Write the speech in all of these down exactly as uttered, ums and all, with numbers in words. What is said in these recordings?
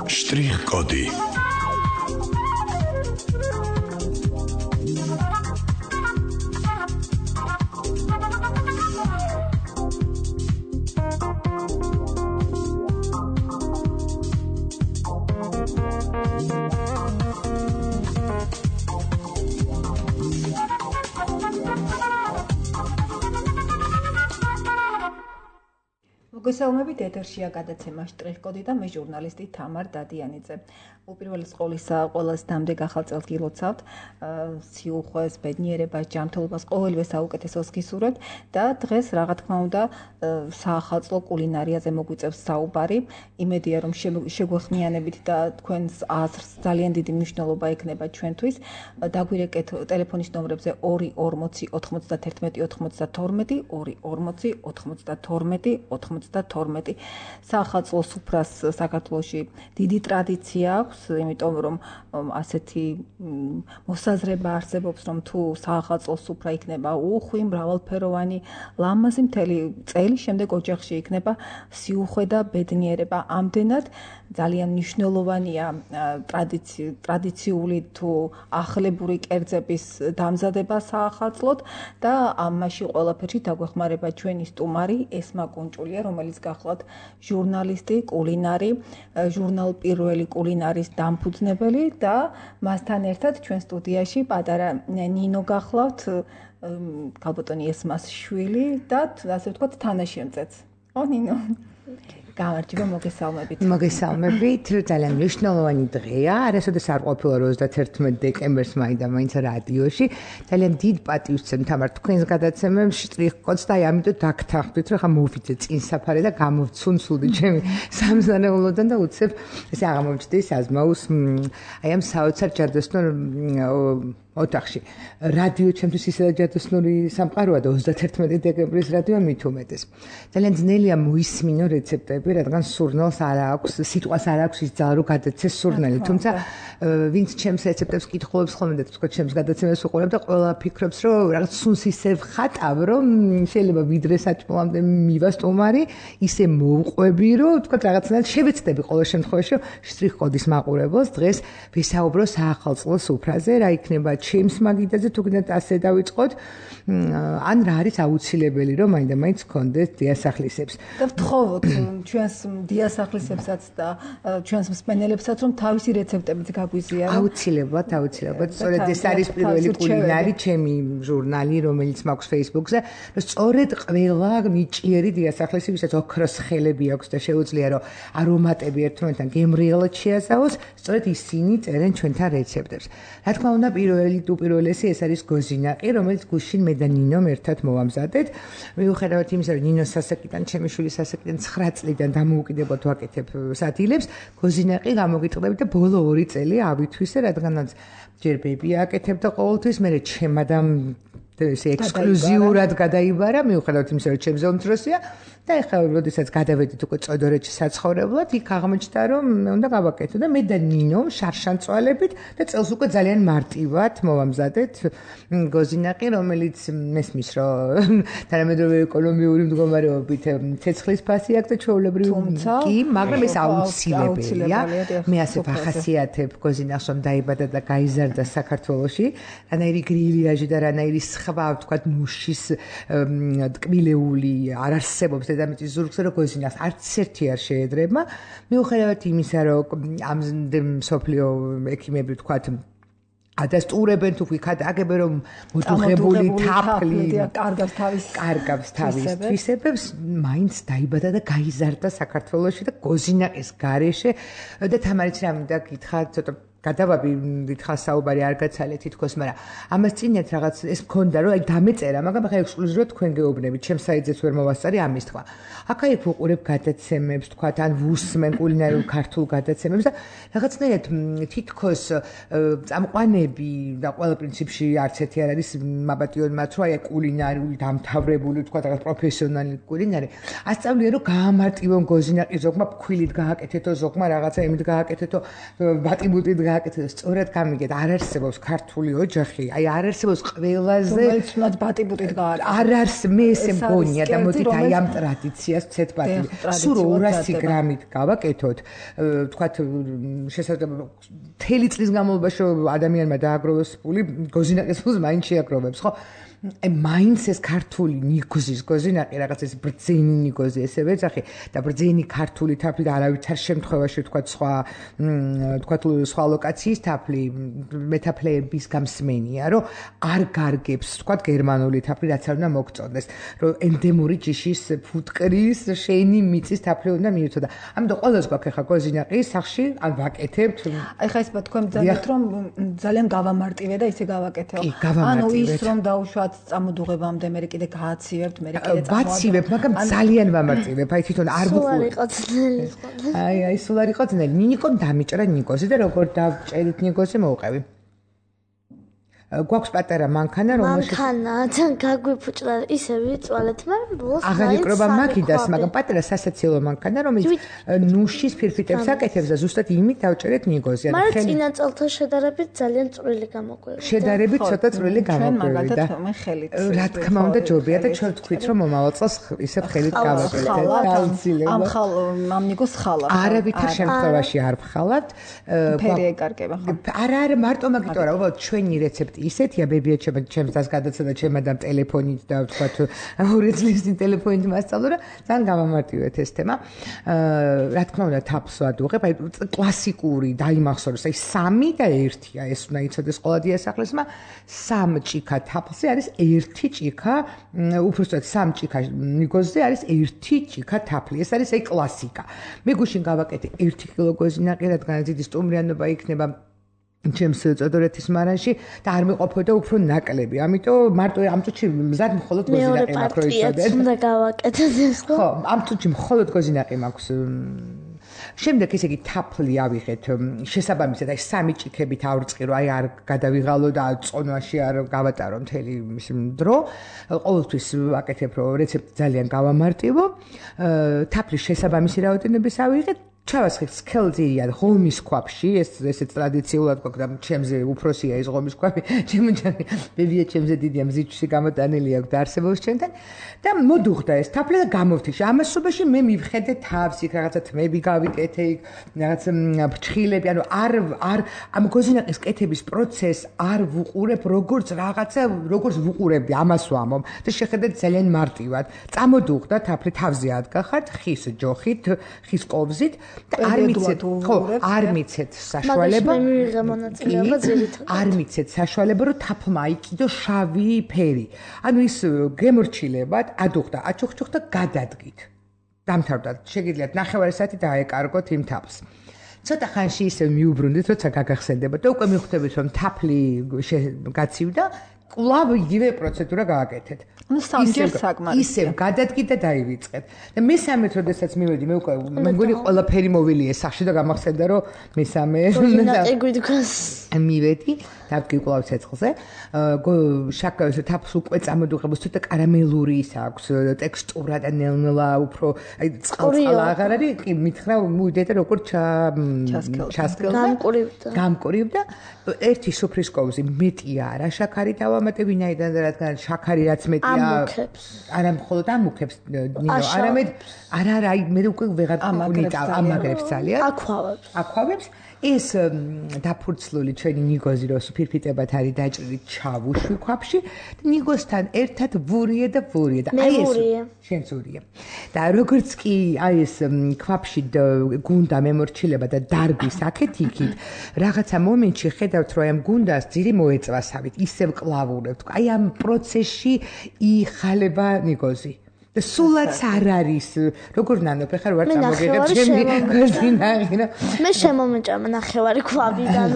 Штрих-коды. მოგესალმებით, ეთერშია გადაცემა შტრიხ-კოდი და მე ჟურნალისტი თამარ დადიანიძე. უპირველეს ყოვლისა, ყველას დამდეგ ახალ წელს გილოცავთ, სიუხვეს, ბედნიერებას, ჯანმრთელობას, ყოველივე საუკეთესოს გისურვებთ და დღეს რა თქმა უნდა საახალწლო კულინარიაზე მოგვიწევს საუბარი. იმედია რომ შეგვეხმიანებით და თქვენს აზრს ძალიან დიდი მნიშვნელობა ექნება ჩვენთვის. დაგვირეკეთ ტელეფონის ნომრებზე ორი ორმოცი ოთხმოცდათერთმეტი ოთხმოცდათორმეტი, ორი ორმოცი ოთხმოცდათორმეტი ოთხმოცდათორმეტი. საახალწლო სუფრას საქართველოში დიდი ტრადიცია აქვს, იმიტომ რომ ასეთი მოსაზრება არსებობს, რომ თუ საახალწლო სუფრა იქნება უხვი, მრავალფეროვანი, ლამაზი მთელი წელი შემდეგ ოჯახში იქნება სიუხვე და ბედნიერება. ამდენად ძალიან მნიშვნელოვანია ტრადიციული თუ ახლებური კერძების დამზადება საახალწლოდ და ამაში ყველაფერში დაგვეხმარება ჩვენი სტუმარი ესმა კუნჭულია, რომელიც გახლავთ ჟურნალისტი, კულინარი, ჟურნალ პირველი კულინარის დამფუძნებელი და მასთან ერთად ჩვენ სტუდიაში პატარა ნინო გახლავთ, ქალბატონი ესმას შვილი და ასე ვთქვათ თანაშემწეც. ო ნინო. გამარჯობა, მოგესალმებით. მოგესალმებით, ძალიან მნიშვნელოვანი დღეა. არასოდეს არ ყოფილა ოცდაათერთმეტი დეკემბერს მაინდა მაინც რადიოში. ძალიან დიდ პატივს ვცემ თამარ თქვენს გადაცემებს შტრიხ-კოდს და ამიტომ დაგთანხმდით, რომ ხა მოვიდე წინ საფარი და გამოვცუნცულდი ჩემი სამზარეულოდან და უცებ ესე აღმოჩნდეს აზმაუს აი ამ საოცარ ჯადოსნურ ოთახში. რადიო ჩემთვის ისედაც ჯადოსნური სამყაროა და ოცდაათერთმეტი დეკემბრის რადიო მით უმეტეს. ძალიან ძნელია მოისმინო რეცეპტები, რადგან სურნელს არ აქვს, სიტყვას არ აქვს ის ძალა, რომ გადაცეს სურნელი. თუმცა ვინც ჩემს რეცეპტებს კითხულობს ხოლმე და თქვა ჩემს გადაცემას უყურებ და ყველა ფიქრობს, რომ რაღაც სუნს ისევ ხატავ, რომ შეიძლება ვიდრე საჭმელამდე მივა სტუმარი, ისე მოვყვები, რომ თქვა რაღაცნაირად შევეცდები ყოველ შემთხვევაში, რომ შტრიხ-კოდის მაყურებელს დღეს ვისაუბრო საახალწლო სუფრაზე, რა იქნება ჩემს მაგიდაზე თუ გინდათ ასე დავიწყოთ, ან რა არის აუცილებელი, რომ მაინდა მაინც გქონდეს დიასახლისებს. და ვთხოვოთ ჩვენს დიასახლისებსაც და ჩვენს მსმენელებსაც, რომ თავისი რეცეპტებით გაგვიზიარონ. აუცილებლად, აუცილებლად. სწორედ ეს არის პირველი კულინარი ჩემი ჟურნალი, რომელიც მაქვს Facebook-ზე, რომ სწორედ ყველა ნიჭიერი დიასახლისი, ვისაც ოქროს ხელები აქვს და შეუძლია რომ არომატები ერთმანეთთან გემრიელად შეასწავლოს, სწორედ ისინი წერენ ჩვენთან რეცეპტებს. რა თქმა უნდა, პირველი თუ პირველესი ეს არის გოზინაყი, რომელიც გუშინ მე და ნინომ ერთად მოვამზადეთ. მიუხედავად იმისა, რომ ნინოს სასაკიდან, ჩემი შვილის სასაკიდან ცხრა წლიდან დამოუკიდებლად ვაკეთებ სადილებს, გოზინაყი გამოგიტყდები და ბოლო ორი წელი ავითვისე, რადგანაც ჯერ ბეიბი აკეთებდა ყოველთვის, მე ჩემადამ ესე ექსკლუზიურად გადაიბარა, მიუხედავად იმისა, რომ ჩემზე უმცროსია და ეხლა როდესაც გადავედით უკვე წოდორეთში საცხოვრებლად, იქ აღმოჩნდა, რომ მე უნდა გავაკეთო და მე და ნინო შარშანწვალებით და წელს უკვე ძალიან მარტივად მოვამზადეთ გოზინაყი, რომელიც მესმის, რომ თანამედროვე ეკონომიური მდგომარეობით ცეცხლის ფასი აქვს და ჩვეულებრივ კი, მაგრამ ეს აუცილებელია. მე ასე ვახასიათებ გოზინაყს, რომ დაიბადა და გაიზარდა საქართველოში, რანაირი გრილიაჟი და რანაირი სხვა, ვთქვათ, მუშის ტკბილეული არ არსებობს დედამიწის ზურგზე, რომ გოზინაყს არც ერთი არ შეედრება. მიუხედავად იმისა, რომ ამ მსოფლიო ექიმები, ვთქვათ, ადასტურებენ თუ ვიქად აგებენ, რომ მოდუღებული თაფლი კარგავს თავის კარგავს თავის თვისებებს, მაინც დაიბადა და გაიზარდა საქართველოში და გოზინაყის გარეშე და თამარიც რა მინდა გითხრა, ცოტა გადავაბი დიდხანს საუბარი არ გაცალე თითქოს, მაგრამ ამას წინათ რაღაც ეს მქონდა, რომ აი დამეწერა, მაგრამ ახლა ექსკლუზიურად თქვენ გეუბნებით, ჩემს საიტზეც ვერ მოვასწარი ამის თქვა. აქ-აქ ვუყურებ გადაცემებს, თქვათ, ან ვუსმენ კულინარიულ ქართულ გადაცემებს და რაღაცნაირად თითქოს წამყვანები და ყველა პრინციპში არც ერთი არ არის მაბატიონ მათ, რომ აი კულინარიული დამთავრებული, თქვათ, რაღაც პროფესიონალი კულინარი. ასწავლია, რომ გაამარტივონ გოზინაყი ზოგმა ფქვილით გააკეთეთო, ზოგმა რაღაცა იმით გააკეთეთო, ბატიბუტით გააკეთე და სწორად გამიგეთ, არ არსებობს ქართული ოჯახი, აი არ არსებობს ყველაზე რომელიც თუნდაც ბატიბუტით გააკეთე. არ არს მე ესე მგონია და მოდით აი ამ ტრადიციას ვცეთ ბატიბი. სულ ორასი გრამით გავაკეთოთ, თქვათ შესაძლოა მთელი წლის განმავლობაში ადამიანმა დააგროვოს ფული, გოზინაკის ფულს მაინც შეაგროვებს, ხო? აი მაინც ეს ქართული ნიგოზის გოზინაკი რაღაც ეს ბრძენი ნიგოზი ესე ვეძახი და ბრძენი ქართული თაფლი და არავითარ შემთხვევაში თქვა სხვა თქვა სხვა ლოკაციის თაფლი მეტაფლეების გამსმენია რომ არ გარგებს თქვა გერმანული თაფლი რაც არ უნდა მოგწონდეს რომ ენდემური ჯიშის ფუტკრის შენი მიწის თაფლი უნდა მიიწოდა ამიტომ ყველას გვაქვს ახლა გოზინაკი სახში ან ვაკეთებთ აი ხა ეს თქვენ ძალიან რომ ძალიან გავამარტივე და ისე გავაკეთე ანუ ის რომ დაუშვათ წამოდუღებამდე მე კიდე გააცივებთ მე კიდე წამოვადგა ვაცივებ მაგრამ ძალიან ვამარტივებ აი თვითონ არ ვუყურებ სულ არ იყო ძნელი აი აი სულ არ იყო ძნელი ნიკომ დამიჭრა ნიკოზი და როგორ დავჭერით ნიკოზი მოვყევი გვაქვს პატარა მანქანა რომელშიც მანქანა თან გაგვიფუჭდა ისე ვიწვალეთ მაგრამ ბოლოს აღარ იკრობა მაგიდას მაგრამ პატარა სასაცილო მანქანა რომელიც ნუშის ფირფიტებს აკეთებს და ზუსტად იმით დავჭერეთ ნიგოზი ან მაგრამ წინა წელთან შედარებით ძალიან წვრილი გამოგვივიდა შედარებით ცოტა წვრილი გამოგვივიდა მე ხელით რა თქმა უნდა ჯობია და ჩვენ თქვით რომ მომავალ წელს ისევ ხელით გავაკეთეთ აუცილებლად ამ ხალ ამ ნიგოს ხალა არავითარ შემთხვევაში არ ვხალავთ ფერი ეკარგება ხო არა არა მარტო მაგითო რა უბრალოდ ჩვენი რეცეპტი ისეთია ბებია ჩემ ჩემს დას გადაცედა ჩემ ადამ ტელეფონით და ვთქვათ ორი წლის წინ ტელეფონით მასწავლო რა ძალიან გამამარტივეთ ეს თემა აა რა თქმა უნდა თაფლს ვადუღებ აი კლასიკური დაიმახსოვროს აი სამი და ერთია ეს უნდა იცოდეს ყველა დიასახლისმა სამ ჭიქა თაფლზე არის ერთი ჭიქა უბრალოდ სამ ჭიქა ნიგოზზე არის ერთი ჭიქა თაფლი ეს არის აი კლასიკა მე გუშინ გავაკეთე ერთი კილო გოზინაკი რადგან დიდი სტუმრიანობა იქნება ჩემს წოდორეთის მარანში და არ მეყოფოდა უფრო ნაკლები. ამიტომ მარტო ამ წუთში მზად მხოლოდ გოზინაკი მაქვს რო იცოდე. უნდა გავაკეთოთ ეს ხო? ხო, ამ წუთში მხოლოდ გოზინაკი მაქვს. შემდეგ ესე იგი თაფლი ავიღეთ შესაბამისად აი სამი ჭიქებით ავრწყი რომ აი არ გადავიღალო და წონვაში არ გავატარო მთელი დრო. ყოველთვის ვაკეთებ რომ რეცეპტი ძალიან გავამარტივო. თაფლის შესაბამისი რაოდენობის ავიღეთ. ჩავასხეთ სქელძირიან ღომის ქვაფში ეს ესეც ტრადიციულად გვაქვს და ჩემზე უფროსია ეს ღომის ქვაფი ჩემი ჯანი ბებია ჩემზე დიდია მზიჩში გამოტანილი აქვს და არსებობს ჩემთან და მოდუღდა ეს თაფლი და გამოვთიშა ამასობაში მე მივხედე თავს იქ რაღაცა თმები გავიკეთე იქ რაღაც ფრჩხილები ანუ არ არ ამ გოზინაკის კეთების პროცესს არ ვუყურებ როგორც რაღაცა როგორც ვუყურებდი ამას ვამობ და შეხედეთ ძალიან მარტივად წამოდუღდა თაფლი თავზე ადგახართ ხის ჯოხით ხის კოვზით არ მიცეთ ხო არ მიცეთ საშუალება არ მიცეთ საშუალება რომ თაფლმა აიკიდო შავი ფერი ანუ ის გემორჩილებად ადუღდა აჩუხჩუხდა გადადგით დამთავრდა შეგიძლიათ ნახევარი საათი დაეკარგოთ იმ თაფლს ცოტა ხანში ისე მიუბრუნდით როცა გაგახსენდება და უკვე მიხვდებით რომ თაფლი გაცივდა კვლავ იგივე პროცედურა გააკეთეთ. ანუ სამჯერ საკმარისია. ისევ გადადგით და დაივიწყეთ. და მესამედ როდესაც მივედი, მე უკვე მე მგონი ყველაფერი მოვილია სახში და გამახსენდა რომ მესამე მივედი დავკი კვლავ ცეცხლზე. შაკავს თაფლს უკვე წამოდუღებს ცოტა კარამელური ის აქვს ტექსტურა და ნელ-ნელა უფრო აი წყალ-წყალ აღარ არის, კი მითხრა მივიდე და როგორ ჩასკელდა. გამკურივდა. გამკურივდა. ერთი სუფრის კოვზი მეტია არა შაქარი დავამატე ვინაიდან რადგან შაქარი რაც მეტია არა მხოლოდ ამუქებს ნინო არამედ არა არა აი მე უკვე ვეღარ ვუნიტავ ამაგრებს ძალიან აქვავებს აქვავებს ეს დაფურცლული ჩვენი ნიგოზი რო სუფირფიტებად არის დაჭრილი ჩავუშვი ქვაფში ნიგოსთან ერთად ვურია და ვურია და აი ეს შენც ვურია და როგორც კი აი ეს ქვაფში გუნდა მემორჩილება და დარბის აქეთ იქით რაღაცა მომენტში ხედავთ რომ ამ გუნდას ძირი მოეწვასავით ისევ კლავურებთ აი ამ პროცესში იხალება ნიგოზი და სულაც არ არის როგორ ნანოფ ახლა ვარ წამოგიღებ ჩემი გოზინაკი რა მე შემომეჭამა ნახევარი ქვაბიდან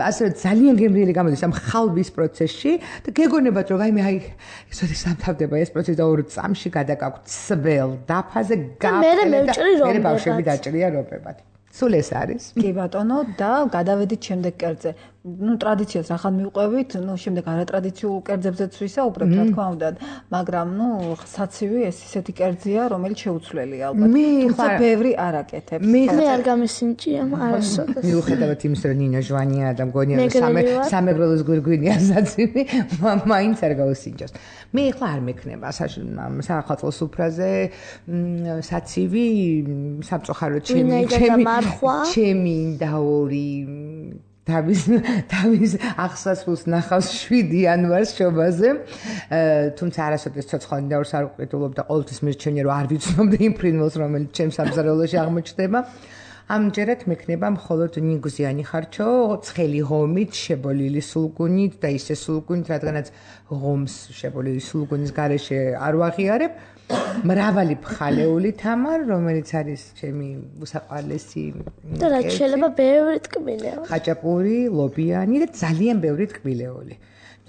ასე ძალიან გემრიელი გამოდის ამ ხალვის პროცესში და გეგონებათ რომ აი მე აი ესეთი სამთავდება ეს პროცესი და ორ წამში გადაკაქვთ სველ დაფაზე გაფრთხილდა და მე მევჭრი რომბებად მე ბავშვები დაჭრია რომბებად სულ ეს არის. კი ბატონო და გადავედით შემდეგ კერძზე. ნუ ტრადიციას რახან მივყვევით, ნუ შემდეგ არატრადიციულ კერძებზეც ვისაუბრებთ, რა თქმა უნდა, მაგრამ ნუ საცივი ეს ისეთი კერძია, რომელიც შეუცვლელია ალბათ. თუმცა ბევრი არ აკეთებს. მე არ გამისინჭია, არასოდეს. მიუხედავად იმისა, რომ ნინო ჟვანია და მგონია სამე სამეგრელოს გვირგვინია საცივი, მაინც არ გავუსინჯოს. მე ახლა არ მექნება სახალხო სუფრაზე საცივი, სამწუხაროდ ჩემი ჩემი ჩემი და ორი თავის თავის აღსასრულს ნახავს შვიდი იანვარს შობაზე. თუმცა არასოდეს ცოცხალი დაურს არ ვყიდულობ და ყოველთვის მირჩენია რომ არ ვიცნობდი იმ ფრინველს რომელიც ჩემს სამზარეულოში აღმოჩნდება. ამჯერად მექნება მხოლოდ ნიგზიანი ხარჩო, ცხელი ღომით, შებოლილი სულგუნით და ისე სულგუნით, რადგანაც ღომს შებოლილი სულგუნის გარეშე არ ვაღიარებ. მრავალი ფხალეული თამარ, რომელიც არის ჩემი უსაყვარლესი და რაც შეიძლება ბევრი ტკბილეული. ხაჭაპური, ლობიანი და ძალიან ბევრი ტკბილეული.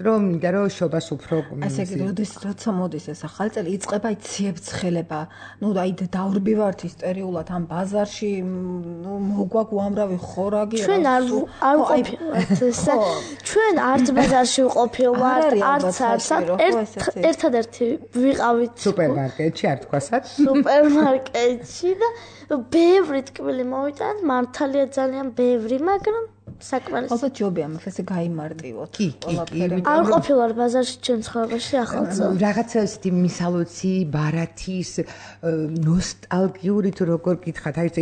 რომ მინდა რომ შობას უფრო ასე იგი როდის როცა მოდის ეს ახალი წელი იწყება ციებ-ცხელება. ნუ აი დაურბივართ ისტორიულად ამ ბაზარში, ნუ მოგვაქვს უამრავი ხორაგი. ჩვენ არ არ ყოფილვართ ესე. ჩვენ არც ბაზარში ვყოფილვართ, არც არცად ერთადერთი ვიყავით სუპერმარკეტში, არ თქვასაც. სუპერმარკეტში და ბევრი ტკბილი მოვიტანთ, მართალია ძალიან ბევრი, მაგრამ საკმარისი. ალბათ ჯობია მას ესე გაიმარტივოთ ყველაფერი. არ ყოფილვარ ბაზარში ჩვენ ცხოვრებაში ახალწელს. რაღაცა ისეთი მისალოცი, ბარათის, ნოსტალგიური თუ როგორ გითხათ, აი ეს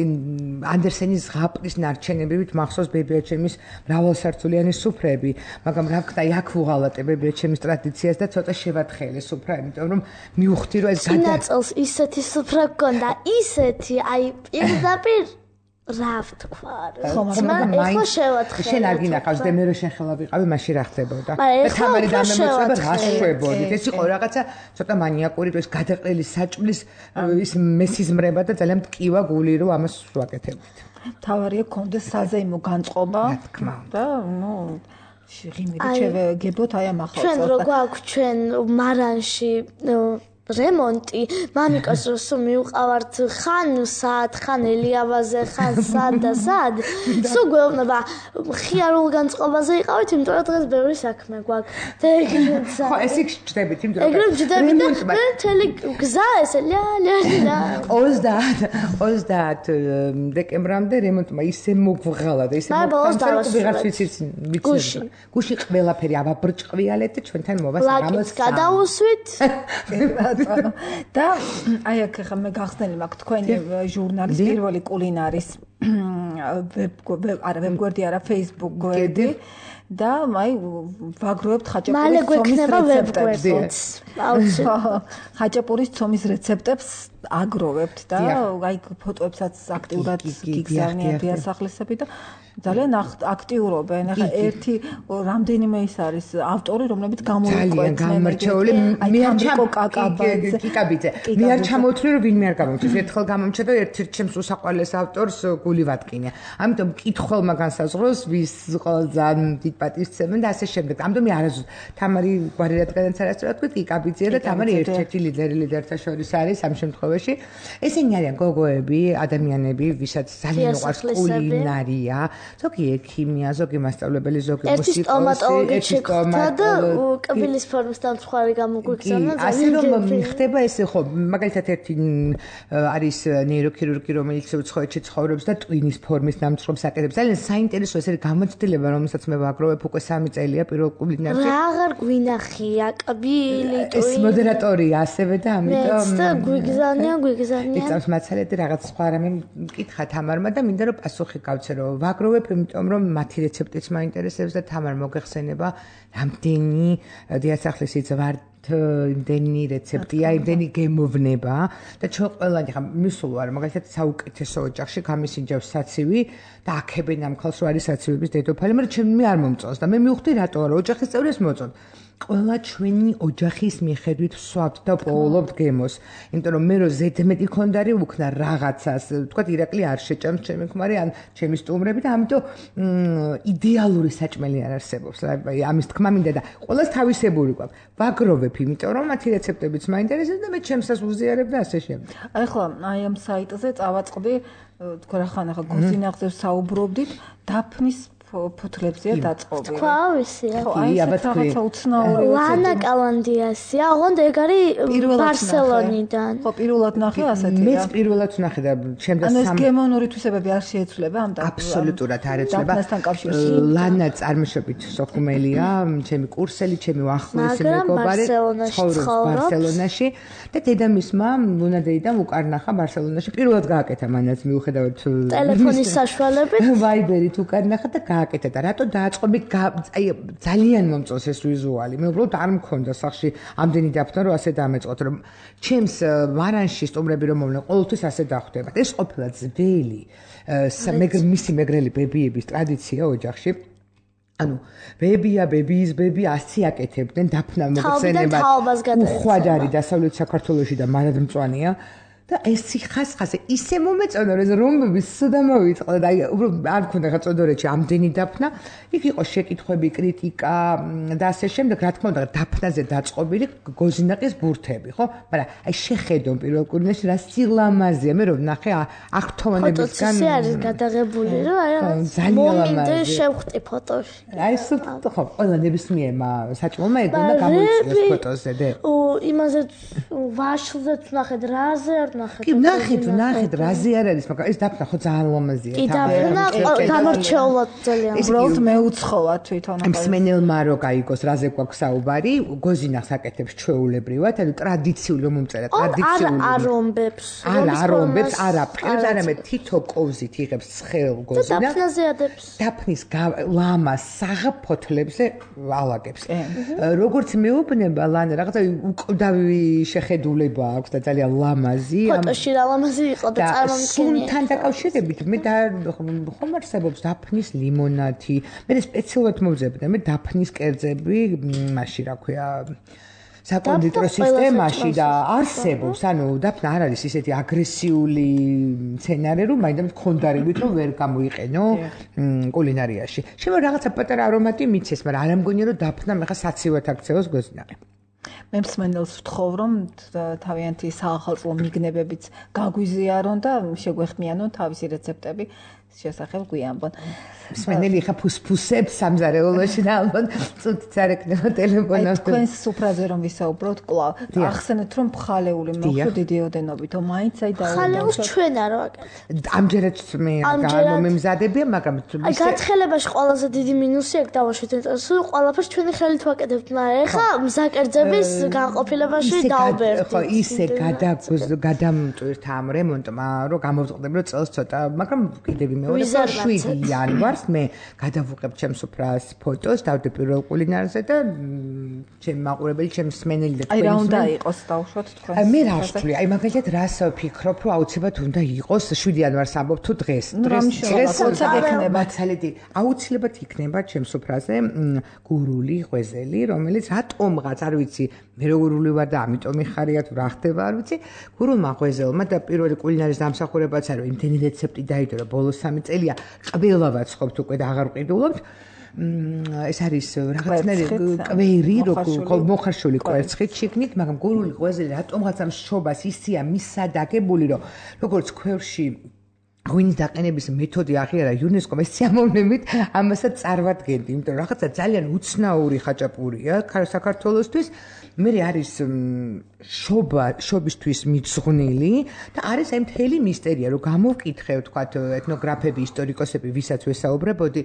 ანდერსენის ზღაპრის ნარჩენებივით მახსოვს ბებიაჩემის მრავალსართულიანი სუფრები, მაგრამ რა ვქნა, აქ ვუღალატე ბებიაჩემის ტრადიციას და ცოტა შევათხელე სუფრა, იმიტომ რომ მივხვდი რომ ეს გადა წელს ისეთი სუფრა გქონდა, ისეთი, აი პირდაპირ რა ვთქვა, მაგრამ ეხლა შევათხე. შენ არ გინახავს და მე რო შენ ხელა ვიყავი, მაშინ რა ხდებოდა? და თამარი დამემეწება რა შვებოდით. ეს იყო რაღაცა ცოტა მანიაკური, ეს გადაყრილი საჭმლის ის მესიზმრება და ძალიან მტკივა გული რომ ამას ვაკეთებდით. თავარია გქონდეს საზეიმო განწყობა და ნუ ღიმილი შევეგებოთ აი ამ ახალ ჩვენ რო გვაქვს ჩვენ მარანში რემონტი, მამიკას როსო მივყავართ ხან საათ, ხან ელიავაზე, ხან სად და სად. სულ გვეუბნება ხიარულ განწყობაზე იყავით, იმიტომ რომ დღეს ბევრი საქმე გვაქვს. და ეგრეთ. ხო, ესე გჭდებით, იმიტომ რომ ეგრეთ გჭდებით და მთელი გზა ესე ლა ლა ლა. ოცდაათ დეკემბრამდე რემონტმა ისე მოგვღალა და ისე მოგვღალა, რომ ვიღაც ვიცით, ვიცით. გუში ყველაფერი აბაბრჭყვიალეთ და ჩვენთან მოვას რამოს. ლაკიც გადაუსვით. და აი აქ ხა მე გახსნელი მაქვს თქვენი ჟურნალის პირველი კულინარის არა ვებგვერდი არა Facebook გვერდი და აი ვაგროვებთ ხაჭაპურის ცომის რეცეპტებს. ხაჭაპურის ცომის რეცეპტებს აგროვებთ და აი ფოტოებსაც აქტიურად გიგზავნიან დიასახლისები და ძალიან აქტიურობენ. ახლა ერთი რამდენიმე ის არის ავტორი, რომლებიც გამოვიყვეთ. ძალიან გამორჩეული. მე არ ჩამოკაკაბაძე. კიკაბიძე. მე არ ჩამოვთვლი რომ ვინმე არ გამომჩნდა. ერთხელ გამომჩნდა ერთ-ერთ ჩემს უსაყვარლეს ავტორს გული ვატკინე. ამიტომ კითხველმა განსაზღვროს ვის ძალიან დიდ პატივს სცემენ და ასე შემდეგ. ამიტომ მე არაზუსტ თამარი გვარი რადგანაც არასწორად ვთქვი, კიკაბიძე და თამარი ერთ-ერთი ლიდერი ლიდერთა შორის არის ამ შემთხვევაში. ესენი არიან გოგოები, ადამიანები, ვისაც ძალიან უყვარს კულინარია. ზოგი ექიმია, ზოგი მასწავლებელი, ზოგი მუსიკოსი, ერთი სტომატოლოგი შეგვხვდა და კბილის ფორმის დამცხვარი გამოგვიგზავნა ძალიან. ასე რომ ხდება ესე ხო, მაგალითად ერთი არის ნეიროქირურგი, რომელიც უცხოეთში ცხოვრობს და ტვინის ფორმის დამცრობს აკეთებს. ძალიან საინტერესო ეს არის გამოცდილება, რომელსაც მე ვაგროვებ უკვე სამი წელია პირველ კულინარში. რა აღარ გვინახია კბილი, ტვინი. ეს მოდერატორია ასევე და ამიტომ და გვიგზავნიან, გვიგზავნიან. იწამს მაცალეთ რაღაც სხვა რამე მკითხა თამარმა და მინდა რომ პასუხი გავცე რომ ვაგროვებ იმიტომ რომ მათი რეცეპტიც მაინტერესებს და თამარ მოგეხსენება რამდენი დიასახლისი ზვართ იმდენი რეცეპტია, იმდენი გემოვნება და ჩვენ ყველანი ხა მისულ ვარ მაგალითად საუკეთესო ოჯახში გამისინჯავს საცივი და აქებენ ამ ხალხს არის საცივების დედოფალი, მაგრამ ჩემ მე არ მომწონს და მე მივხვდი რატო არა ოჯახის წევრებს მოწონს. ყველა ჩვენი ოჯახის მიხედვით ვსვავთ და პოულობთ გემოს. იმიტომ რომ მე რო ზედმეტი ხონდარი ვუქნა რაღაცას, თქვა ირაკლი არ შეჭამს ჩემი ქმარი ან ჩემი სტუმრები და ამიტომ იდეალური საჭმელი არ არსებობს. აი ამის თქმა მინდა და ყველას თავისებური გვაქვს. ვაგროვებ, იმიტომ რომ მათი რეცეპტებიც მაინტერესებს და მე ჩემსაც ვუზიარებ და ასე შემდეგ. აი ხო, აი ამ საიტზე წავაწყდი, თქვა რა ხან ახლა გოზინახზე საუბრობდით, დაფნის ფოთლებზეა დაწყობილი. თქვა ვისია. ხო, აი ეს რაღაცა უცნაური ლანა კალანდიასია, ოღონდ ეგ არის ბარსელონიდან. ხო, პირველად ნახე ასეთი რა. მეც პირველად ვნახე და ჩემს ანუ ეს გემონური თვისებები არ შეეცვლება ამ და აბსოლუტურად არ ეცვლება. დაფნასთან კავშირში. ლანა წარმოშობით სოხუმელია, ჩემი კურსელი, ჩემი უახლოესი მეგობარი, ცხოვრობს ბარსელონაში და დედამისმა ლუნადეიდან უკარნახა ბარსელონაში. პირველად გააკეთა მანაც მიუხედავად ტელეფონის საშუალებით, ვაიბერით უკარნახა და გააკეთა და რატო დააწყობი აი ძალიან მომწონს ეს ვიზუალი. მე უბრალოდ არ მქონდა სახში ამდენი დაფნა რომ ასე დამეწყოთ რომ ჩემს მარანში სტუმრები რომ მომნე ყოველთვის ასე დახვდებათ. ეს ყოფილა ძველი მისი მეგრელი ბებიების ტრადიცია ოჯახში. ანუ ბებია, ბებიის ბები ასი აკეთებდნენ დაფნა მოხსენებად. უხვად არის დასავლეთ საქართველოში და მარადმწვანეა. და ეს სიხასხასე ისე მომეწონა რომ რომბები სუდა მოვიწყდა და აი უბრალოდ არ მქონდა ხა წოდორეთში ამდენი დაფნა. იქ იყო შეკითხვები, კრიტიკა და ასე შემდეგ, რა თქმა უნდა დაფნაზე დაწყობილი გოზინაყის ბურთები, ხო? მაგრამ აი შეხედო პირველ კურნეში რა სილამაზეა, მე რომ ნახე აღთომანებისგან ფოტოც არის გადაღებული, რომ აი მომენტი შევხვდი ფოტოში. აი სულ ხო, ყველა ნებისმიერმა საჭმელმა ეგ უნდა გამოიწვიოს ფოტოზე და იმაზე ვაშლზეც ნახეთ რაზე არ კი ნახეთ, ნახეთ, რაზე არ არის, მაგრამ ეს დაფნა ხო ძალიან ლამაზია. კი დაფნა გამორჩეულად ძალიან. უბრალოდ მეუცხოვა თვითონ. მსმენელმა რო გაიგოს, რაზე გვაქვს საუბარი, გოზინახს აკეთებს ჩვეულებრივად, ანუ ტრადიციული რომ მომწერა, ტრადიციული. არ არომბებს. არ არომბებს, არ აფრთხილებს, არამედ თითო კოვზით იღებს ცხელ გოზინახს. და დაფნაზე ადებს. დაფნის ლამას საღფოთლებზე ალაგებს. როგორც მეუბნება ლანა, რაღაცა უკვდავი შეხედულება აქვს და ძალიან ლამაზი. ფოტოში რა ლამაზი იყო და წარმომიდგენია. სუნთან დაკავშირებით მე და ხომ არსებობს დაფნის ლიმონადი. მე სპეციალურად მოვძებდი მე დაფნის კერძები, მაშინ რა ქვია საკონდიტრო სისტემაში და არსებობს, ანუ დაფნა არ არის ისეთი აგრესიული სცენარი, რომ მაინდა მქონდარებით რომ ვერ გამოიყენო კულინარიაში. შემო რაღაცა პატარა არომატი მიცეს, მაგრამ არ ამგონია რომ დაფნა მე ხა საცივად აქცევოს გოზინაყი. მე მსმენელს ვთხოვ რომ თავიანთი საახალწლო მიგნებებიც გაგვიზიარონ და შეგვეხმიანონ თავისი რეცეპტები შესახებ გვიანბონ. მსმენელი ხა ფუსფუსებს სამზარეულოში და ალბათ წუთიც არ ეკნება ტელეფონს. თქვენს სუფრაზე რომ ვისაუბროთ კვლავ, ახსენეთ რომ მხალეული მოხდა დიდი ოდენობით, რომ მაინც აი და მხალეულს ჩვენ არ ვაკეთებთ. ამჯერად მე გამომემზადებია, მაგრამ აი გათხელებაში ყველაზე დიდი მინუსი ეგ დავაშვით, სულ ყველაფერს ჩვენი ხელით ვაკეთებთ, მაგრამ ეხა მზაკერძების განყოფილებაში დავბერდით. ხო, ისე გადამწვირთ ამ რემონტმა, რომ გამოვწყდები რომ წელს ცოტა, მაგრამ კიდევ მეორე შვიდი იანვარს მე გადავუყებ ჩემს სუფრას ფოტოს, დავდე პირველ კულინარზე და ჩემი მაყურებელი, ჩემი მსმენელი და თქვენი. აი რა უნდა იყოს დავუშვათ თქვენ. აი მე რა ვთვლი, აი მაგალითად რას ვფიქრობ, რომ აუცილებლად უნდა იყოს შვიდი იანვარს ამბობ თუ დღეს. დღეს დღეს იქნება ცალედი. აუცილებლად იქნება ჩემს სუფრაზე გურული ღვეზელი, რომელიც რატომღაც არ ვიცი, მე როგორული ვარ და ამიტომ იხარია თუ რა ხდება, არ ვიცი. გურულმა ღვეზელმა და პირველი კულინარის დამსახურებაც არის, იმდენი რეცეპტი დაიდო და ბოლოს სამი წელია ყველა ვაცხობთ უკვე და აღარ ვყიდულობთ. ეს არის რაღაცნაირი კვერი, როგორ მოხარშული კვერცხით შიგნით, მაგრამ გურული ღვეზელი რატომღაც ამ შობას ისია მისად აგებული, რომ როგორც ქვევრში ღვინის დაყენების მეთოდი აღიარა იუნესკომ, ეს სიამოვნებით ამასაც წარმატგენდი, იმიტომ რომ რაღაცა ძალიან უცნაური ხაჭაპურია საქართველოსთვის. მე არის შობა, შობისთვის მიძღვნილი და არის აი მთელი მისტერია, რომ გამოვკითხე, ვთქვათ, ეთნოგრაფები, ისტორიკოსები, ვისაც ვესაუბრებოდი,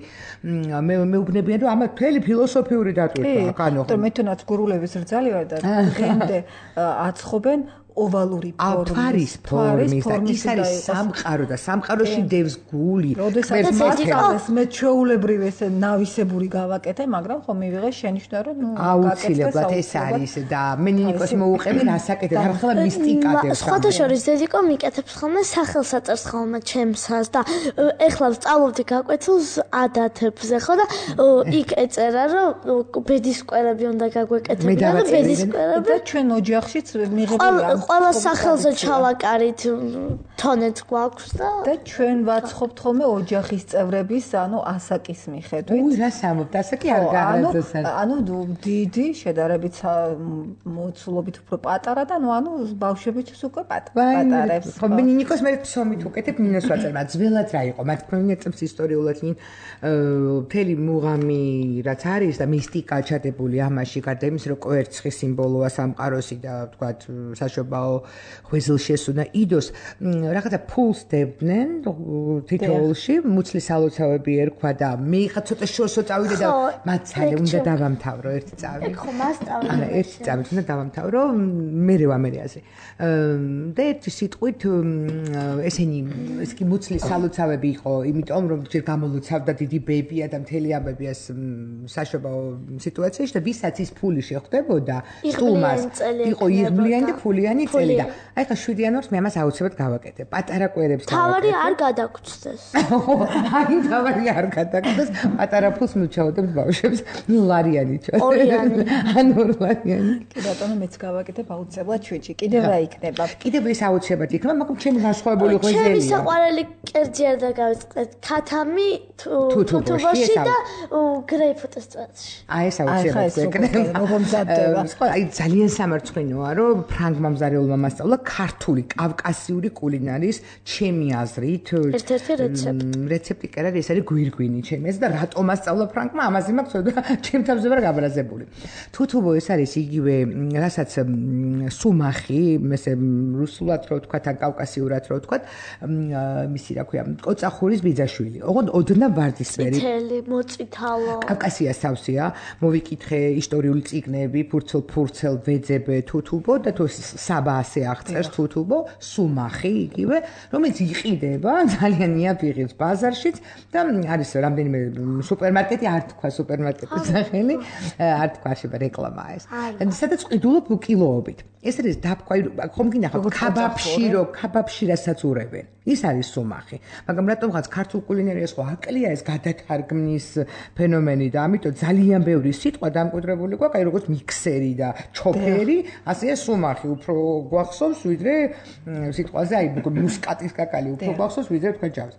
მე მეუბნებიან, რომ ამა მთელი ფილოსოფიური დატვირთვა, ანუ ხო, მე თუნდაც გურულების რძალი ვარ და დღემდე აცხობენ ოვალური ფორმის, ფორმის და ის არის სამყარო და სამყაროში დევს გული. როდესაც მას მე ჩვეულებრივ ესე ნავისებური გავაკეთე, მაგრამ ხო მივიღე შენიშვნა რომ ნუ აუცილებლად ეს არის და მე ნინიკოს მოუყევი რასაკეთებ, ახლა მისტიკა დევს. სხვათა შორის დედიკო მიკეთებს ხოლმე სახელსაწერს ხოლმე ჩემსას და ეხლა ვსწავლობდი გაკვეთილს ადათებზე ხო და იქ ეწერა რომ ბედისკვერები უნდა გაგვეკეთებინა და ბედისკვერები და ჩვენ ოჯახშიც მიღებული ყველა სახელზე ჩავაკარით თონეც გვაქვს და და ჩვენ ვაცხობთ ხოლმე ოჯახის წევრების ანუ ასაკის მიხედვით. უი რა სამობთ, ასაკი არ გაარღვევს. ანუ დიდი შედარებით მოცულობით უფრო პატარა და ნუ ანუ ბავშვებიც უკვე პატარებს. ხო მე ნინიკოს მე ფსომით უკეთებ ნინოს ვაწერმა ძველად რა იყო მათ პროინეტებს ისტორიულად ნინ მთელი მუღამი რაც არის და მისტიკა ჩადებული ამაში გარდა იმის რომ კვერცხი სიმბოლოა სამყაროსი და ვთქვათ საშობაო ღვიძლშესუ და იდოს რაღაცა ფულს დებდნენ თითოეულში მუცლის ალოცავები ერქვა და მე ხა ცოტა შორსო წავიდე და მათ ცალე უნდა დავამთავრო ერთი წავი ხო მასწავლე არა ერთი წავი უნდა დავამთავრო მე ვამერიაზე და ერთი სიტყვით ესენი ეს კი მუცლის ალოცავები იყო იმიტომ რომ ჯერ გამოლოცავდა დიდი ბებია და მთელი ამბები ეს საშობაო სიტუაციაში და ვისაც ის ფული შეხვდებოდა სტუმარს იყო იღბლიანი და ფულიანი წელი და აი ხა შვიდი იანვარს მე ამას აუცილებლად გავაკეთებ პატარა კვერებს თავარი არ გადაგწდეს აი თავარი არ გადაგწდეს პატარა ფულს მივჩაოდებ ბავშვებს ნუ ლარიანი ჩა ორიანი ან ორიანი კი ბატონო მეც გავაკეთებ აუცილებლად შვიდში კიდევ რა იქნება კიდევ ეს აუცილებლად იქნება მაგრამ ჩემი განსხვავებული ღვიძლია ჩემი საყვარელი კერძი არ დაგავიწყეთ ქათამი თუთუბოში და გრეიფუტის წვეთში აი ეს აუცილებლად იქნება აი ძალიან სამარცხვინოა რომ ფრანგმა მზარეულმა მასწავლა ქართული კავკასიური კულინარიის ჩემი აზრით ერთ-ერთი რეცეპტი რეცეპტი კი არა ეს არის გვირგვინი ჩემი ეს და რატომ მასწავლა ფრანგმა ამაზე მაქვს ცოტა ჩემ თავზე ვარ გაბრაზებული თუთუბო ეს არის იგივე რასაც სუმახი ესე რუსულად რო ვთქვა თან კავკასიურად რო ვთქვა მისი რა ქვია კოწახურის ბიძაშვილი ოღონდ ოდნა ვარდისფერი თელი მოწითალო კავკასიას თავსია მოვიკითხე ისტორიული წიგნები ფურცელ ფურცელ ვეძებე თუთუბო და თუ საბა ასე აღწერს თუთუბო სუმახი იგივე რომელიც იყიდება ძალიან იაფიღებს ბაზარშიც და არის რამდენიმე სუპერმარკეტი არ თქვა სუპერმარკეტის სახელი არ თქვა შეიძლება რეკლამაა ეს და სადაც ყიდულობ კილოობით ეს არის დაფქვა ხომ გინახავთ ქაბაბში რო ქაბაბში რასაც ურევენ ის არის სუმახი მაგრამ რატომღაც ქართულ კულინარიას ხო აკლია ეს გადათარგმნის ფენომენი და ამიტომ ძალიან ბევრი სიტყვა დამკვიდრებული გვაქვს აი როგორც მიქსერი და ჩოფერი ასეა სუმახი უფრო გვახსოვს ვიდრე სიტყვაზე აი მუსკატის კაკალი უფრო გვახსოვს ვიდრე თქვა ჯავს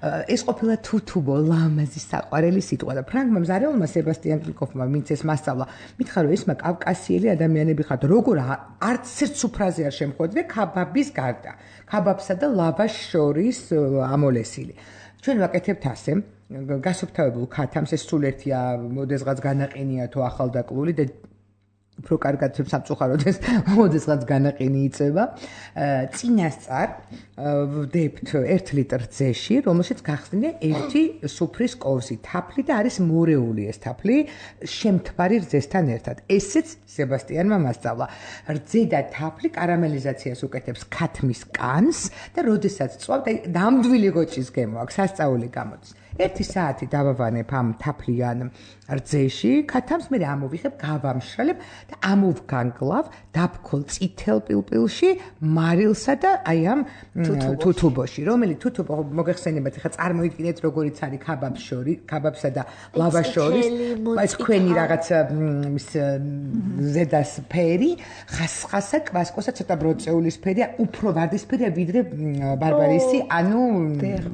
ეს ყოფილა თუთუბო ლამაზი საყვარელი სიტყვა და ფრანგმა მზარეულმა სებასტიან კრიკოფმა ვინც ეს მასწავლა მითხრა რომ ესმა კავკასიელი ადამიანები ხართ როგორ არც ერთ სუფრაზე არ შემხვედრე ქაბაბის გარდა ქაბაბსა და ლავაშ შორის ამოლესილი ჩვენ ვაკეთებთ ასე გასუფთავებულ ქათამს ეს სულ ერთია მოდესღაც განაყენია თუ ახალდაკლული და უფრო კარგად სამწუხაროდეს მოდესღაც განაყენი იწება წინასწარ ვდებთ ერთ ლიტრ ძეში რომელშიც გახსნილია ერთი სუფრის კოვზი თაფლი და არის მორეული ეს თაფლი შემთბარი რძესთან ერთად ესეც სებასტიანმა მასწავლა რძე და თაფლი კარამელიზაციას უკეთებს ქათმის კანს და როდესაც წვავთ აი ნამდვილი გოჭის გემო აქვს სასწაული გამოდის ერთი საათი დავავანებ ამ თაფლიან რძეში ქათამს მე ამოვიხებ გავამშრალებ და ამოვგანგლავ დაფქოლ წითელ პილპილში მარილსა და აი ამ თუთუბოში რომელიც თუთუბო მოგეხსენებათ ხა წარმოიდგინეთ როგორიც არის ქაბაბს შორის ქაბაბსა და ლავაშ შორის ეს ქვენი რაღაც ის ზედას ფერი ხასხასა კვასკოსა ცოტა ბროწეულისფერია უფრო ვარდისფერია ვიდრე ბარბარისი ანუ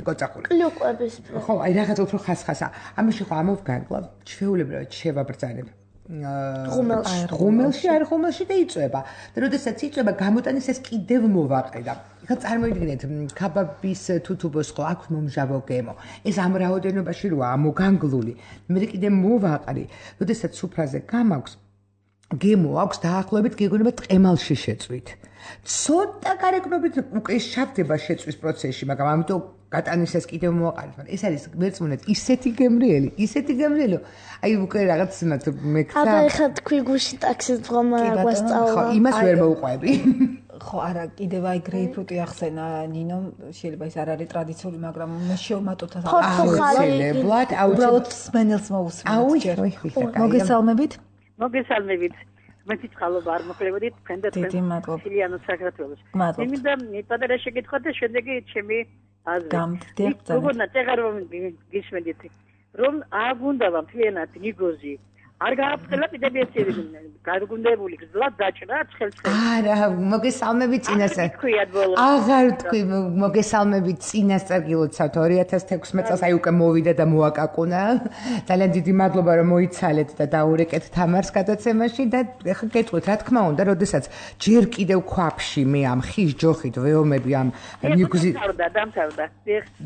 კოწახური კლუკვების ხო აი რაღაც უფრო ხასხასა ამაში ხო ამოვგანგლავ ჩვეულებრივად შევაბრძანებ ღუმელში ღუმელში არ ღუმელში და იწובה და როდესაც იწובה გამოტანის ეს კიდევ მოვაყრე და ხა წარმოიდგინეთ ქაბაბის თუთუბოს ხო აქვს მომჟავო გემო ეს ამ რაოდენობაში როა ამოგანგლული მე კიდე მოვაყრე როდესაც სუფრაზე გამაქვს გემო აქვს დაახლოებით გეგონება ტყემალში შეწვით ცოტა გარეგნობით უკვე შავდება შეწვის პროცესში მაგრამ ამიტომ გატანის ეს კიდევ მოვაყარეთ მაგრამ ეს არის მერწმუნეთ ისეთი გემრიელი ისეთი გემრიელი აი უკვე რაღაც მე ხა აბა ეხა თქვი გუში ტაქსის დღომა გვასწავლა ხო იმას ვერ მოუყვები ხო არა კიდევ აი გრეიპფრუტი ახსენა ნინო შეიძლება ის არ არის ტრადიციული მაგრამ მე შევმატოთ აუცილებლად უბრალოდ სმენელს მოусმენთ ჯერ მოგესალმებით მოგესალმებით მეც წყალობა არ მოხლებოდით თქვენ და თქვენ სილიანო საქართველოს მე მინდა პატარა შეკითხვა და შემდეგი ჩემი აზრი როგორ ნაწეღარ გისმენდით რომ აგუნდა მთლიანად ნიგოზი არ გააფრთხილა პედაგოგიები გარგუნდებული გზლად დაჭრა ცხელცხელ არა მოგესალმებით წინასწარ აღარ თქვი მოგესალმებით წინასწარ გილოცავთ ორი ათას თექვსმეტ წელს აი უკვე მოვიდა და მოაკაკუნა ძალიან დიდი მადლობა რომ მოიცალეთ და დაურეკეთ თამარს გადაცემაში და ეხლა გეტყვით რა თქმა უნდა როდესაც ჯერ კიდევ ქვაფში მე ამ ხის ჯოხით ვეომები ამ ნიგზი დამთავრდა დამთავრდა